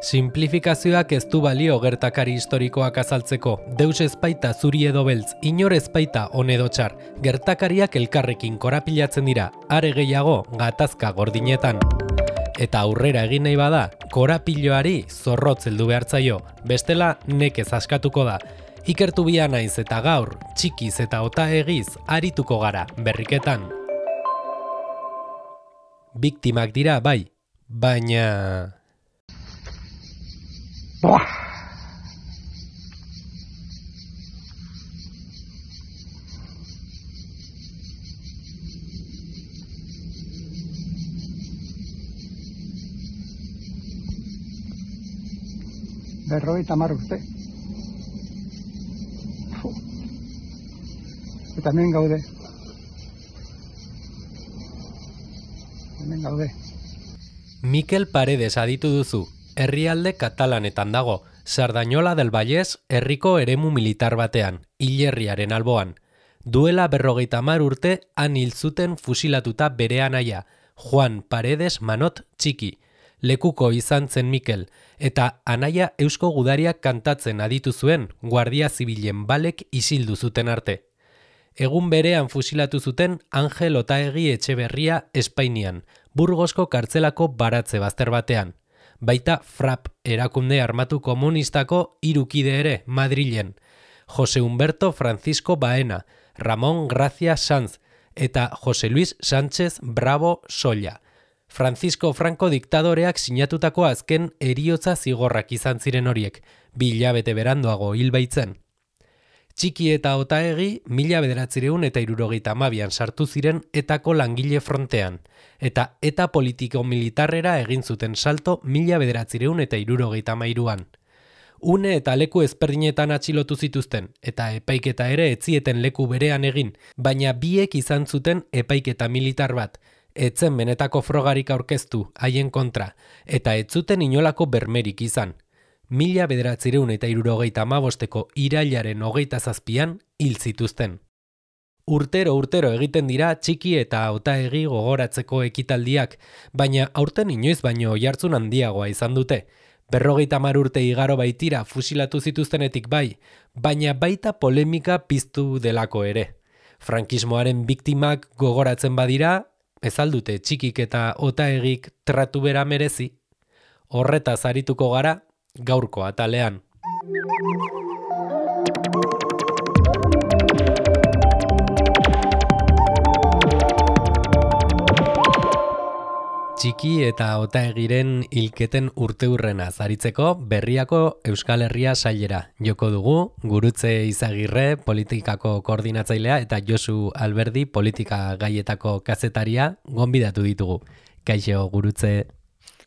Simplifikazioak ez du balio gertakari historikoak azaltzeko. Deus ezpaita zuri edo beltz, inor ezpaita on edo txar. Gertakariak elkarrekin korapilatzen dira, are gehiago gatazka gordinetan. Eta aurrera egin nahi bada, korapiloari zorrotz heldu behartzaio, bestela nekez askatuko da. Ikertu bia naiz eta gaur, txikiz eta otaegiz arituko gara berriketan. Biktimak dira bai, baina... Berrogeita 10 urte. Eta hemen gaude. Mikel Paredes aditu duzu, herrialde katalanetan dago, Sardañola del Vallès herriko eremu militar batean, hilerriaren alboan. Duela 50 urte han hil zuten fusilatuta bere anaia, Juan Paredes Manot Txiki. Lekuko izan zen Mikel, eta anaia eusko gudariak kantatzen aditu zuen Guardia Zibilen balek isildu zuten arte. Egun berean fusilatu zuten Angel Otaegi Etxeberria Espainian, Burgosko kartzelako baratze bazter batean. Baita FRAP erakunde armatu komunistako 3 kide ere Madrilen, Jose Humberto Francisco Baena, Ramón Gracia Sanz eta Jose Luis Sánchez Bravo Solla. Francisco Franco diktadoreak sinatutako azken heriotza zigorrak izan ziren horiek, 2 hilabete beranduago hil baitzen. Txiki eta Otaegi 1972an sartu ziren etako langile frontean, eta eta politiko-militarrera egin zuten salto 1973an. Une eta leku ezberdinetan atxilotu zituzten, eta epaiketa ere etzieten leku berean egin, baina biek izan zuten epaiketa militar bat, etzen benetako frogarik aurkeztu haien kontra, eta ez zuten inolako bermerik izan. 1975ko irailaren 27an hil zituzten. Urtero egiten dira Txiki eta Otaegi gogoratzeko ekitaldiak, baina aurten inoiz baino oihartzun handiagoa izan dute. 50 urte igaro baitira fusilatu zituztenetik bai, baina baita polemika piztu delako ere. Frankismoaren biktimak gogoratzen badira, ez aldute Txikik eta Otaegik tratu bera merezi. Horretaz arituko gara, gaurko atalean. Txiki eta Otaegiren hilketen urteurrenaz aritzeko Berriako Euskal Herria sailera joko dugu, Gurutze Izagirre politikako koordinatzailea eta Josu Alberdi politika gaietako kazetaria gonbidatu ditugu. Kaixo Gurutze.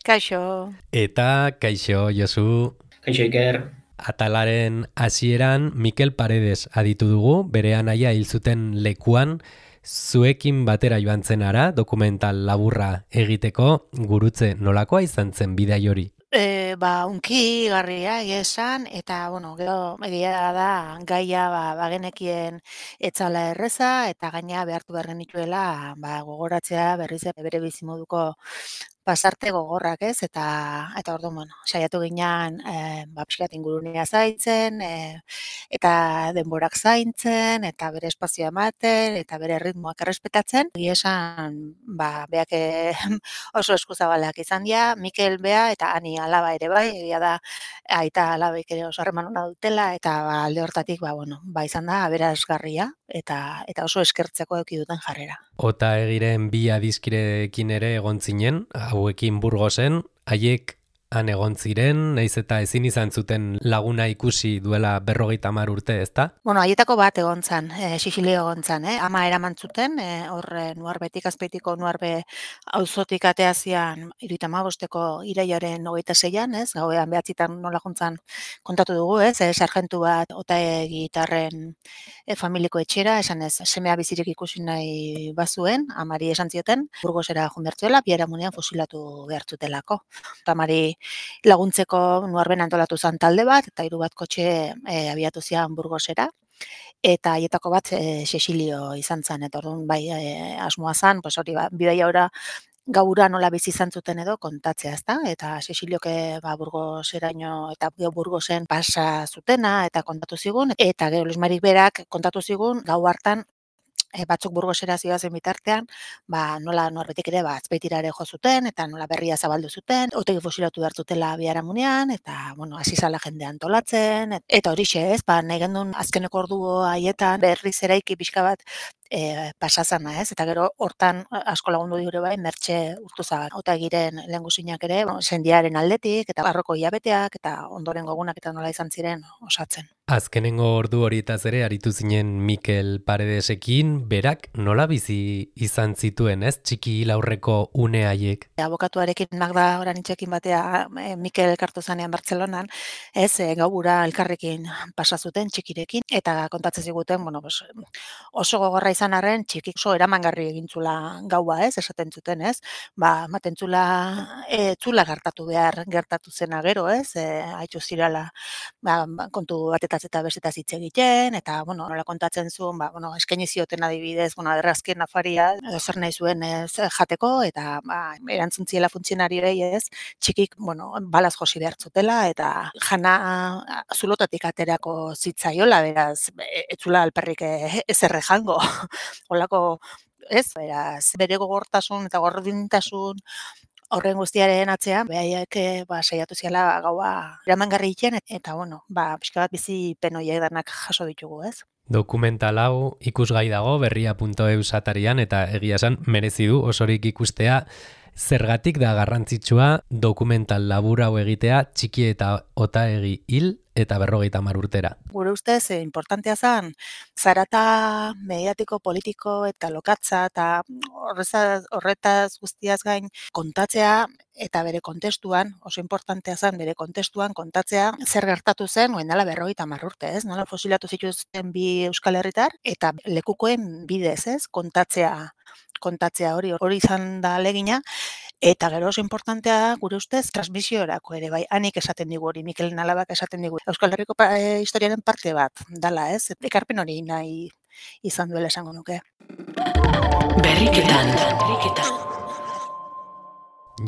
Kaixo. Eta kaixo Josu. Kaixo Iker. Atalaren hasieran Mikel Paredes aditu dugu, bere anaia hil zuten lekuan, zuekin batera joan zen ara, dokumental laburra egiteko. Gurutze, nolakoa izan zen bidai hori? Unki garria esan, eta gero egia da gaia bagenekien etzala erreza, eta gaina behartu behar genituela gogoratzea berriz bere bizimoduko pasarte gogorrak, ez? Eta orduan, saiatu ginean pixkat ingurunea zaintzen, eta denborak zaintzen, eta bere espazioa ematen, eta bere ritmoak errespetatzen. Egia esan, beak oso eskuzabalak izan dira, Mikel bea eta Ani alaba ere bai, egia da aita alabaik ere oso harreman ona dutela, eta alde hortatik izan da aberasgarria eta oso eskertzeko eduki duten jarrera. Otaegiren 2 adiskirekin ere egon zinen, hauekin Burgosen, haiek han egon ziren, naiz eta ezin izan zuten laguna ikusi duela 50 urte, ezta? Haietako bat egon zan, Sixilio egon zan, ama eraman zuten, Nuarbetik, Azpeitiko Nuarbe auzotik ateazian 75ko irailaren 26an, ez? Gauean 9 nola jontzan kontatu dugu, ez? Sargentu bat Otaegitarren familiko etxera, esan ez, semea bizirik ikusi nahi bazuen, amari esan zioten, Burgosera junbertzuela, biharamunean fusilatu behartutelako. Amari laguntzeko Nuarben antolatu zen talde bat, eta 3 bat kotxe abiatu zian Burgosera, eta haietako bat Sixilio izan zen, eta orduan asmoa zen, bidaia ora gaura nola bizi izan zuten edo kontatzea, ezta? Eta Cecilioke Burgoseraino eta Burgosen pasa zutena eta kontatu zigun, eta gero Luis Marik berak kontatu zigun gau hartan batzuk Burgosera zihoazen bitartean, nola norbetik ere Azpeitira ere jo zuten eta nola berria zabaldu zuten, otegi fusilatu behar zutela biharamunean eta hasi zala jende antolatzen eta horixe, ez? Nahi gendun azkeneko ordu haietan berriz eraiki pixka bat pasazana, ez? Eta gero hortan asko lagundu diure bai Mertxe Urtuzabal. Otagiren lehengusinak ere, sendiaren aldetik eta barroko hilabeteak eta ondoren gogunak eta nola izan ziren osatzen. Azkenengo ordu horietaz ere aritu zinen Mikel Paredesekin, berak nola bizi izan zituen, ez? Txiki laurreko une haiek. Abokatuarekin Magda Oranitxekin batea Mikel elkartu zanean Bartzelonan, ez, gaubura elkarrekin pasa zuten txikirekin eta kontatzen ziguten, oso gogorra izan arren txikik oso eramangarri egintzula gaua, ez, esaten zuten, ez? Ematen zula zula gertatu zena gero, ez? Haitzu zirala kontu batetaz eta bestetaz hitz egiten, eta, nola kontatzen zuen, eskaini zioten adibidez, errazkien afaria, edo zer nahi zuen jateko, eta erantzun ziela funtzionariei ez, txikik, balaz josi behar zutela, eta jana zulotatik aterako zitzaiola, beraz, etzula alperrik ezerre jango, holako, ez, beraz, bere gogortasun eta gordintasun horren guztiaren atzean, behaiek saiatu ziala gaua eramangarri egiten, eta pixka bat bizi penoiek danak jaso ditugu, ez? Dokumental hau ikusgai dago berria.eus atarian eta egia esan merezi du osorik ikustea. Zergatik da garrantzitsua dokumental labur hau egitea txiki eta Otaegi hil eta 50 urtera. Gure ustez, importantea zen, zarata mediatiko, politiko eta lokatza eta horretaz guztiaz gain kontatzea eta bere kontestuan, oso importantea zen bere kontestuan kontatzea zer gertatu zen orain dela 50 urte, ez? Nola fosilatu zituzten bi Euskal Herritar eta lekukoen bidez, ez? Kontatzea hori izan da alegina. Eta gero oso importantea da, gure ustez, transmisiorako ere, bai, hanik esaten digu hori, Mikel Alabak esaten digu. Euskal Herriko historiaren parte bat dala, ez? Ekarpen hori nahi izan duela esango nuke. Berriketan.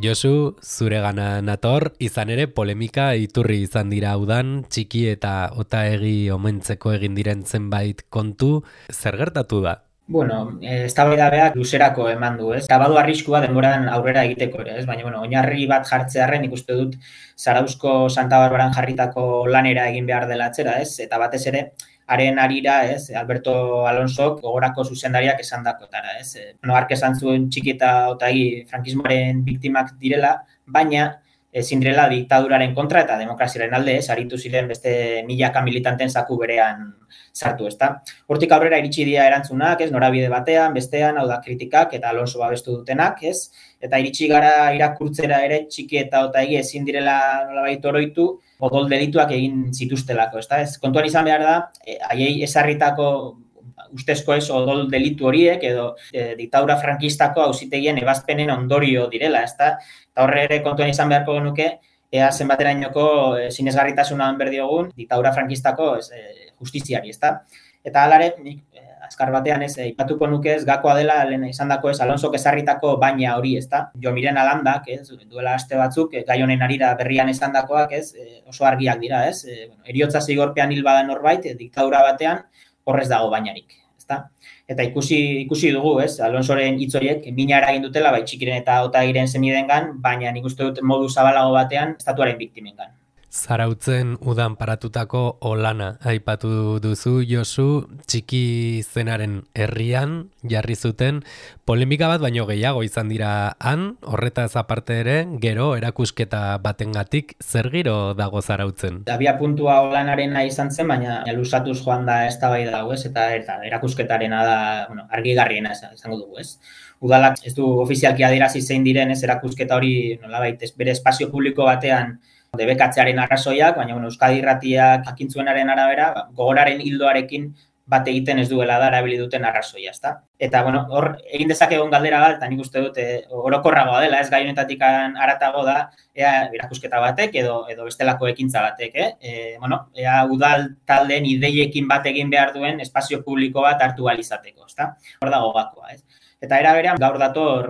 Josu, zuregana nator, izan ere polemika iturri izan dira udan, txiki eta Otaegi omentzeko egin diren zenbait kontu, zer gertatu da? Eztabaidabeak luzerako eman du, ez? Eta badu arriskua denboran aurrera egiteko ere, ez? Baina, oinarri bat jartzearren ikuste dut Zarauzko Santa Barbaran jarritako lanera egin behar dela atzera, ez? Eta batez ere, haren harira, ez? Alberto Alonsok gogorako zuzendariak esandakotara, ez? Hark esan zuen txiki eta Otaegi frankismoaren biktimak direla, baina ezin direla diktaduraren kontra eta demokraziaren alde, ez? Aritu ziren beste milaka militanten zaku berean sartu, ezta? Hortik aurrera iritsi dira erantzunak, ez? Norabide batean, bestean, hau da kritikak eta Alonso babestu dutenak, ez? Eta iritsi gara irakurtzera ere txiki eta Otaegi ezin direla nolabait oroitu odol delituak egin zituztelako, ezta? Ez kontuan izan behar da, haiei ezarritako ustezko ez odol delitu horiek edo diktadura frankistako auzitegien ebazpenen ondorio direla, ezta? Eta horre ere kontuan izan beharko genuke, ea zenbaterainoko sinesgarritasuna berdiogun diktadura frankistako justiziari, ezta? Eta halare, nik azkar batean ez aipatuko nuke ez gakoa dela lehen izandako ez Alonsok ezarritako baina hori, ezta? Jomiren Alandak, ez, duela aste batzuk gai honen harira berrian esandakoak, ez, oso argiak dira, ez? Heriotza zigorpean hil bada norbait, diktadura batean horrez dago bainarik, ezta? Eta ikusi dugu, ez? Alonsoren hitz horiek mina eragin dutela bai txikiren eta Otaegiren senidengan, baina nik uste dut modu zabalago batean estatuaren biktimengan. Zarautzen udan paratutako olana aipatu duzu, Josu, txiki zenaren herrian jarri zuten polemika bat baino gehiago izan dira han, horretaz aparte ere, gero erakusketa batengatik zer giro dago Zarautzen? Abia puntua olanarena izan zen, baina luzatuz joan da eztabaida hau, ez? Eta erakusketarena da, argigarriena izango dugu, ez? Udalak ez du ofizialki adierazi zein diren ez erakusketa hori nolabait bere espazio publiko batean debekatzearen arrazoiak, baina Euskadi Irratiak jakintzuenaren arabera, gogoraren hildoarekin bat egiten ez duela da erabili duten arrazoia, ezta? Eta hor egin dezakegun galdera bat, eta nik uste dut orokorragoa dela, ez gai honetatik haratago da, ea erakusketa batek edo bestelako ekintza batek, ea udal taldeen ideiekin bat egin behar duen espazio publiko bat hartu ahal izateko, ezta? Hor dago gakoa, ez? Eta era berean gaur dator,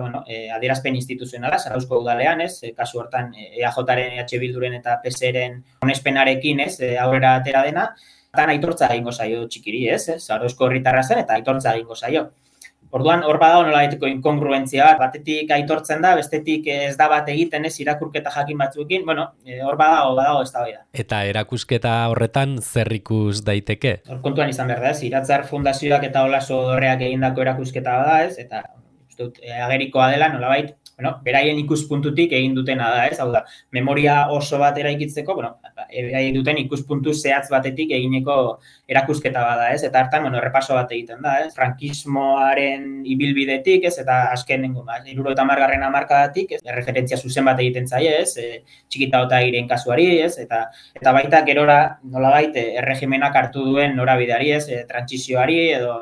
adierazpen instituzionala Zarauzko udalean, kasu hortan EAJaren, EH Bilduren eta PSeren onespenarekin, aurrera atera dena, eta aitortza egingo zaio txikiri, Zarauzko herritarra zen eta aitortza egingo zaio. Orduan, hor badago nolabaiteko inkongruentzia bat, batetik aitortzen da, bestetik ez da bat egiten, irakurketa jakin batzuekin, hor badago eztabaida. Eta erakusketa horretan zer ikus daiteke? Hor kontuan izan behar da, Iratzar Fundazioak eta Olaso Dorreak egindako erakusketa da, eta uste dut agerikoa dela nolabait, beraien ikuspuntutik egin dutena da, hau da, memoria oso bat eraikitzeko, beraien duten ikuspuntu zehatz batetik egineko erakusketa bada, eta hartan, errepaso bat egiten da, frankismoaren ibilbidetik, eta azken, 70. hamarkadatik, referentzia zuzen bat egiten zaie, Txikita Otaegiren kasuari, eta baita gerora nolabait erregimenak hartu duen norabideari, trantsizioari edo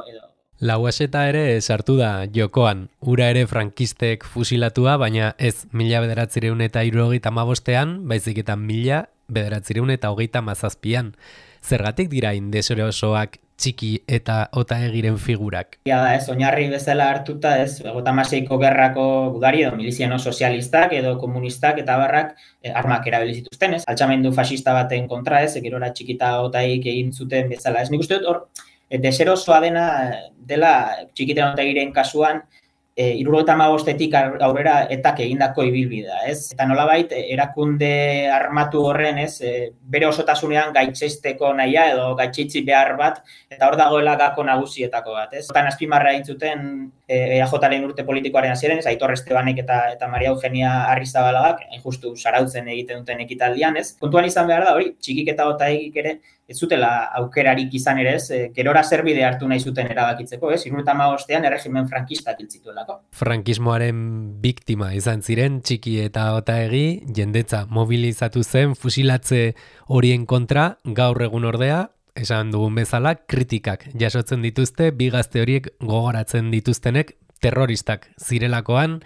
Lauaxeta ere sartu da jokoan, ura ere frankistek fusilatua, baina ez 1975ean, baizik eta 1937an. Zergatik dira indeserosoak Txiki eta Otaegiren figurak? Ja da, oinarri bezala hartuta, 56ko gerrako gudari edo miliziano sozialistak edo komunistak eta barrak armak erabili zituzten, altxamendu fascista baten kontra, gerora Txiki eta Otaegik egin zuten bezala. Nik uste dut hor, deserosoa dela Txikita Otaegiren kasuan, 75etik aurrera etak egindako ibilbidea, Eta nolabait erakunde armatu horren, bere osotasunean gaitzeisteko nahia edo gaitzeitzi behar bat, eta hor dagoela gako nagusietako bat, Hortan azpimarra egin zuten EAJaren urte politikoaren hasieran, Aitor Estebanek eta Maria Eugenia Arrizabalaga, justu Zarautzen egiten duten ekitaldian, Kontuan izan behar da, hori, Txikik eta Otaegik ere, ez zutela aukerarik izan ere, gerora zerbide hartu nahi zuten erabakitzeko, 75ean erregimen frankistak hil zituelako. Frankismoaren biktima izan ziren Txiki eta Otaegi, jendetza mobilizatu zen fusilatze horien kontra, gaur egun ordea, esan dugun bezala, kritikak jasotzen dituzte, bi gazte horiek gogoratzen dituztenek terroristak zirelakoan,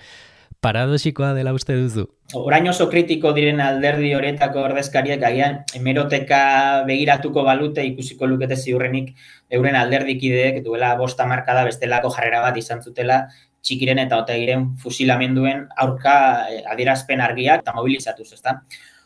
paradoxikoa dela uste duzu? Orain oso kritiko diren alderdi horietako ordezkariak agian hemeroteka begiratuko balute ikusiko lukete ziurrenik euren alderdikideek duela 5 hamarkada bestelako jarrera bat izan zutela Txikiren eta Otaegiren fusilamenduen aurka adierazpen argiak eta mobilizatuz, ezta?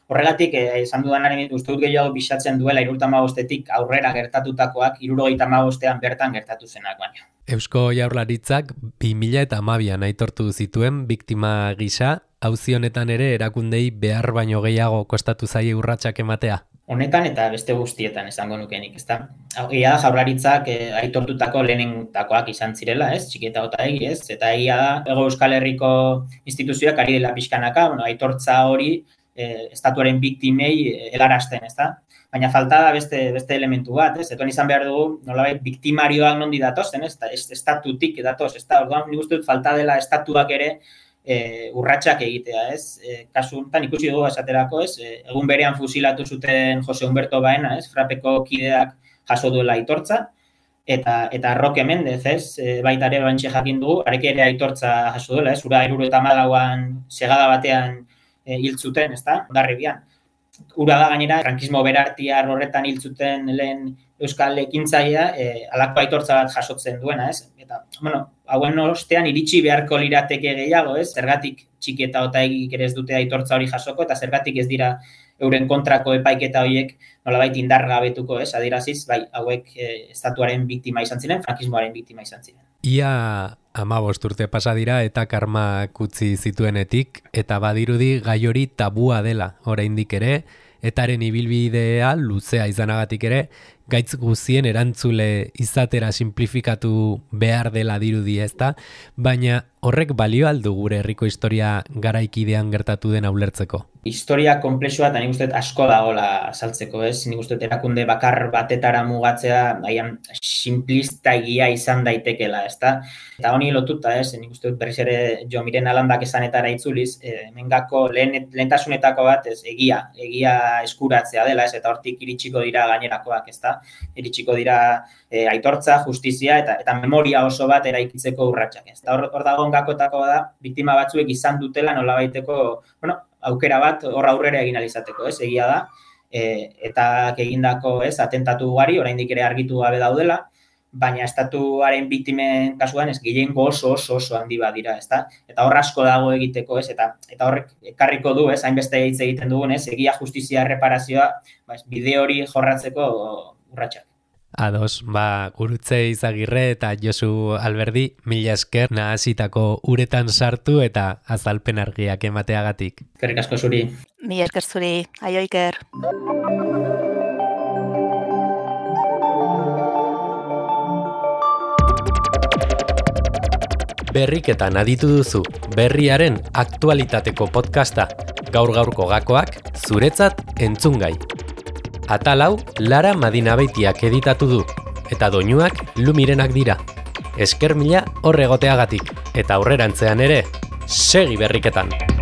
Horregatik, esan dudanaren uste dut gehiago bisatzen duela 75etik aurrera gertatutakoak 75ean bertan gertatu zenak baina. Eusko Jaurlaritzak 2012an aitortu zituen biktima gisa, auzi honetan ere erakundei behar baino gehiago kostatu zaie urratsak ematea. Honetan eta beste guztietan esango nukenik, ezta? Egia da Jaurlaritzak aitortutako lehenengotakoak izan zirela, Txiki eta Otaegi, eta egia da Hego Euskal Herriko instituzioak ari dela pixkanaka, aitortza hori estatuaren biktimei helarazten, ezta? Baina falta da beste elementu bat, Eton izan behar dugu, nolabait biktimarioak nondi datozen, estatutik datoz, ezta? Orduan nik uste dut falta dela estatuak ere urratsak egitea, Kasu honetan ikusi dugu esaterako, egun berean fusilatu zuten Jose Humberto Baena, Frapeko kideak jaso duela aitortza, eta Roque Mendez, baita ere bantxe jakin dugu, arek ere aitortza jaso duela, ura 74an segada batean hil zuten, ezta? Hondarribian. Ura da gainera, frankismo berartiar horretan hil zuten lehen euskal ekintzailea, halako aitortza bat jasotzen duena, Eta, hauen ostean iritsi beharko lirateke gehiago, Zergatik Txiki eta Otaegik ere ez dute aitortza hori jasoko, eta zergatik ez dira euren kontrako epaiketa horiek nolabait indargabetuko, adieraziz, bai, hauek estatuaren biktima izan ziren, frankismoaren biktima izan ziren. Ia 15 urte pasa dira eta karmak utzi zituenetik, eta badirudi gai hori tabua dela, oraindik ere, etaren ibilbidea luzea izanagatik ere, gaitz guzien erantzule izatera simplifikatu behar dela dirudi, ezta? Baina horrek balio aldu gure herriko historia garaikidean gertatu den ulertzeko? Historia konplexua eta nik uste asko dagoela azaltzeko, Nik uste erakunde bakar batetara mugatzea agian simplista egia izan daitekela, ezta? Eta honi lotuta, nik uste berriz ere Jo Miren Alandak esanetara itzuliz, hemengako lehentasunetako bat, egia eskuratzea dela, eta hortik iritsiko dira gainerakoak, ezta? Iritsiko dira aitortza, justizia eta memoria oso bat eraikitzeko urratsak, ezta? Hor dagoen gakoetako da, biktima batzuek izan dutela nolabaiteko, aukera bat hor aurrera egin alizateko, egia da, eta egindako atentatu ugari, oraindik ere argitu gabe daudela, baina estatuaren biktimen kasuan ez gehiengo oso handi badira, ezta? Eta hor asko dago egiteko, ez? Eta horrek ekarriko du, ez? Hainbeste hitz egiten dugun, ez? Egia, justizia, erreparazioa, bide hori jorratzeko urratsak. Ados, Gurutze Izagirre eta Josu Alberdi, mila esker nahasitako uretan sartu eta azalpen argiak emateagatik. Eskerrik asko zuri. Mila esker zuri, aio Iker. Berriketan aditu duzu, berriaren aktualitateko podcasta, gaur-gaurko gakoak, zuretzat entzungai. Atal hau Lara Madinabeitiak editatu du, eta doinuak Lumirenak dira. Esker mila hor egoteagatik, eta aurrerantzean ere, segi berriketan!